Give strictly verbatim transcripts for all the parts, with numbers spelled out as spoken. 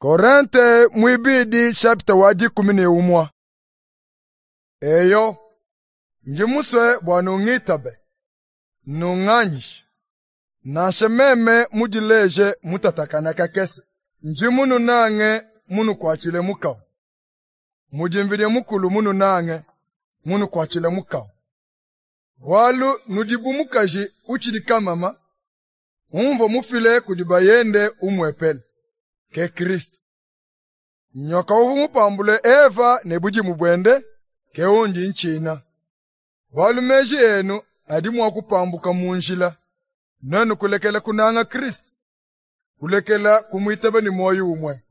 Korinte mwibidi chapitre wa dikumi ne umwa. Eyo, ndi musue bua nungitabe, nunganyishe. Nansha meme mudileje mutatakana kakese, ndi mununange munukuatshile mukawu. Mudi Mvidi Mukulu mununange munukuatshile mukawu. Bualu nudi bu mukaji utshidi kamama, umvua mufile kudi bayende umuepele, ke Kristu. Nyoka uvua mupambule Eva ne budimu buende, ke undi ntshina. Bualu meji enu adi mua kupambuka mu njila, nuenu kulekela kunanga Kristu, kulekela kumuitaba ne muoyo umue.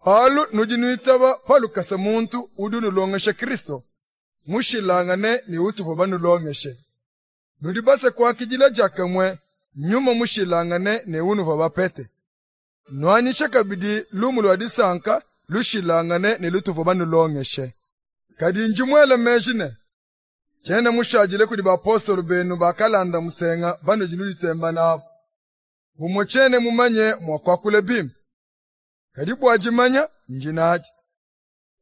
Bualu nudi nuitaba pa lukasa muntu udi unulongesha Kristu, mushilangane ne utuvua banulongeshe. Nudi basue kuakidila diakamue nyuma mushilangane ne unuvua bapete. Nuanyishe kabidi lumu lua disanka lushilangane ne lutuvua banulongeshe. Kadi ndi muele meji ne, tshiena mushadile kudi bapostolo benu bakalanda musenga banudi nuditemba nabu. Bumue tshiena mumanye mua kuakula bimpe, kadi bua dimanya ndi nadi.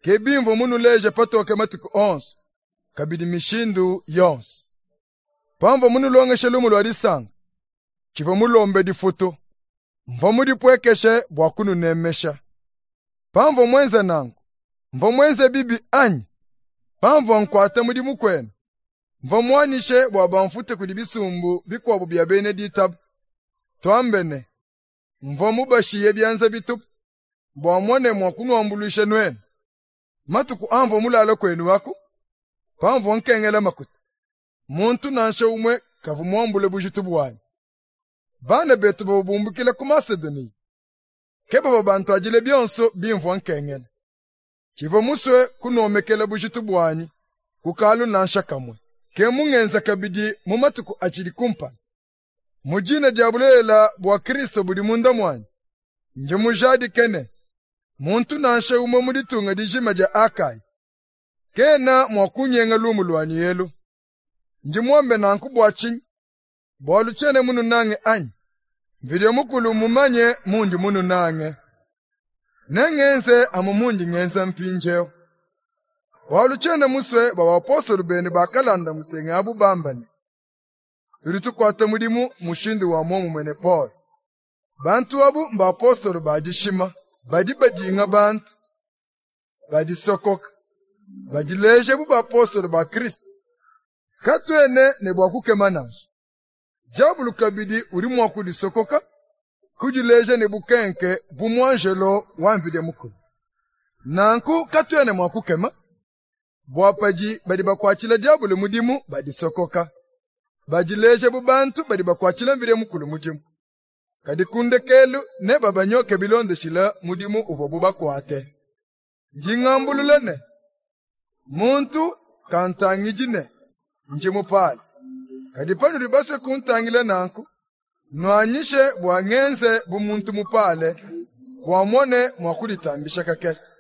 Ke bimvua munuleje patoke matuku onso, kabidi mishindu yonso. Pamvua munulongeshe lumu lua disanka, tshivua mulombe difutu, mvua mudipuekeshe bua kununemesha. Pamvua muenze nanku, mvua muenze bibi anyi? Pamvua nkuata mudimu kuenu, mvua muanyishe bua bamfute kudi bisumbu bikuabu bia bena ditaba. Tuambe ne, mvua mubashiye bianza bitupu, bua mmone mua kunuambuluisha nuenu. Matuku amvua mulale kuenu aku, pamvua nkengela makuta, muntu nansha umue kavua muambule bujitu buanyi. Bana betu bavua bumbukila ku Masedoniya, ke bavua bantuadile bionso bimvua nkengela. Tshivua musue kunuomekela bujitu buanyi ku kalu nansha kamue. Ke mungenza kabidi mu matuku atshidi kumpala. Mu dina dia bulelela bua Kristo budi munda muanyi, ndi mujadike ne, muntu nansha umue mu ditunga dijima dia Akaya kena mua kunyenga lumu luanyi elu. Ndi muambe nanku bua tshinyi? Bualu tshiena mununange anyi? Mvidi Mukulu mumanye mundi mununange. Nengenze amu mundi ngenza mpindieu. Bualu tshiena musue bua bapostolo benu bakalanda musenga abu bamba ne, tudi tukuata mudimu mushindu wa muomumue ne Paul. Bantu abu mbapostolo ba dishima, badi badinga bantu, badisokoka, badileja bu bapostolo ba Kristo. Katuena ne bua kukema nansha. Diabulu kabidi udi mua kudisokoka, kudileja ne bukenke bu muanjelo wa Mvidi Mukulu. Nanku katuena mua kukema, bua padi badi bakuatshila diabulu mudimu badisokoka, badileja bu bantu badi bakuatshila Mvidi Mukulu mudimu. Kadi ku ndekelu nebabanyoke bilondeshile mudimu uvuabu bakuate. Ndi ngambulula ne, muntu kantangidi ne ndi mupale. Kadi panudi basue kuntangila nanku, nuanyishe bua ngenze bu muntu mupale, bua mmone mua kuditambisha kakese.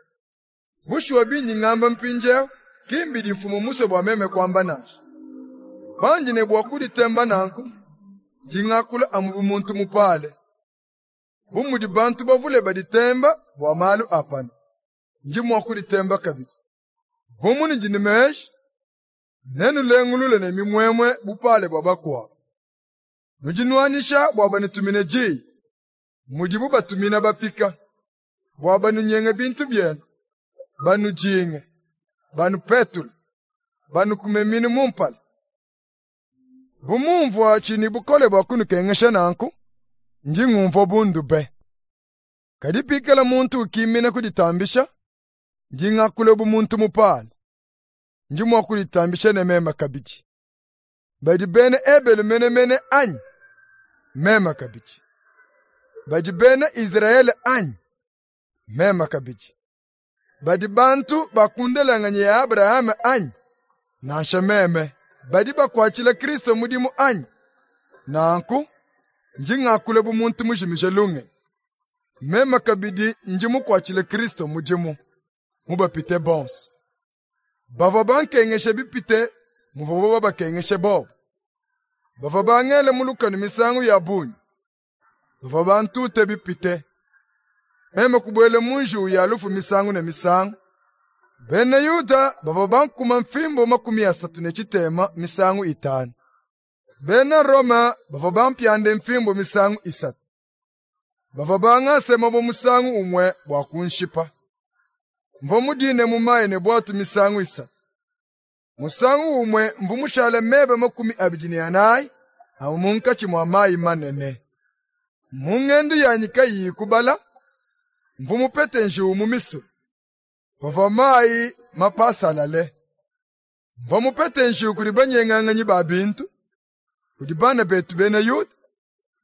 Bushuwa bindi ngamba mpindieu, ki mbidi mfumu musue bua meme kuamba nansha. Pandi ne bua kuditemba nanku, ndi ngakula amu bu muntu mupale. Bu mudi bantu bavule baditemba bua malu a panu, ndi mua kuditemba kabidi. Bu munudi ne meji, nenulengulule ne mimuemue bupale bua bakuabu. Nudi nuanyisha bua banutumine diyi, mudibu batumina bapika, bua banunyenge bintu bienu, banudinge, banupetule, banukume minu mu mpala. Bu mumvua tshiyi bukole bua kunukengesha nanku, ndi ngumvua bundu be. Kadi pikala muntu ukimina kuditambisha, ndi ngakula bu muntu mupale. Ndi mua kuditambisha ne meme kabidi. Badi bena Ebelu menemene anyi? Meme kabidi. Badi bena Israele anyi? Meme kabidi. Badi bantu ba ku ndelanganyi ya Abrahame anyi? Nansha meme. Badi bakuatshila Kristo mudimu anyi? Nanku ndi ngakula bu muntu mujimije lungenyi. Meme kabidi ndi mukuatshile Kristo mudimu, mubapite bonso. Bavua bankengeshe bipite muvuabu babakengeshe bobu. Bavua bangele mu lukanu misangu ya bungi. Bavua bantute bipite. Meme kubuela mu njiwu ya lufu misangu ne misangu. Bena Yuda bavua bankuma mfimbu makumi asatu ne tshitema misangu itanu. Bena Roma bavua bampiande mfimbu misangu isatu. Bavua bangase mabue musangu umue bua kunshipa. Mvua mudine mu mayi ne buatu misangu isatu. Musangu umue mvua mushale meba makumi abidi ne anayi amu munkatshi mua mayi manene. Mu ngendu yanyi kayiyi kubala, mvua mupete njiwu mu misulu, pavua mayi mapasalale. Mvua mupete njiwu kudi banyenganganyi ba bintu, kudi bana betu bena Yuda,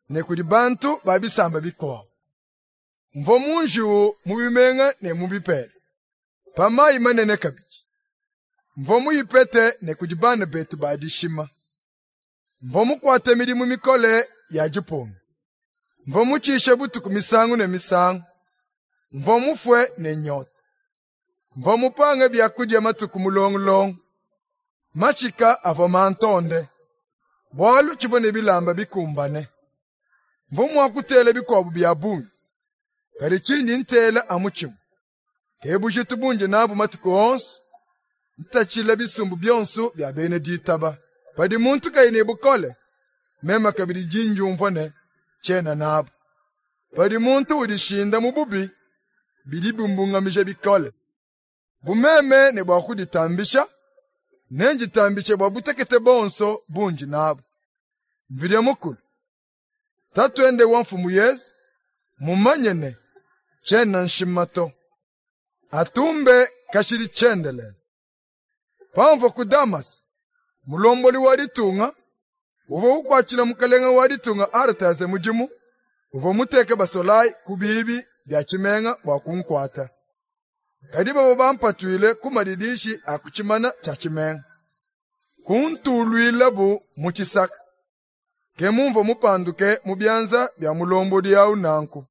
ne kudi bantu ba bisamba bikuabu. Mvua mu njiwu mu bimenga ne mu bipela, pa mayi manene kabidi. Mvua muyipete ne kudi bana betu ba dishima. Mvua mukuate midimu mikole ya dipunga. Mvua mutshishe butuku misangu ne misangu. Mvua mufue ne nyota. Mvua mupange biakudia matuku mulongulongo. Mashika avua mantonde, bualu tshivua ne bilamba bikumbane. Mvua mua kutela bikuabu bia bungi, kadi tshindi ntela amu tshimue. Ke bujitu bundi nabu matuku onso, ntatshila bisumbu bionso bia bena ditaba. Padi muntu kayi ne bukole, meme kabidi ndi ndiumvua ne tshiena nabu. Padi muntu udishinda mu bubi, bidi bimbungamija bikole. Bu meme ne bua kuditambisha, nenditambishe bua butekete bonso bundi nabu. Mvidi Mukulu, Tatuende wa Mfumu Yezu, mumanye ne tshiena nshima to. Atumbe kashidi tshiendelele. Pamvua ku Damase, mulombodi wa ditunga uvua ukuatshila mukalenga wa ditunga Aretase mudimu, uvua muteke basolayi ku biibi bia tshimenga bua kunkuata. Kadi bavua bampatuile ku madidishi a ku tshimana tshia tshimenga. Kuntuluilabu mu tshisaka. Ke mumvua mupanduke mu bianza bia mulombodi awu nanku.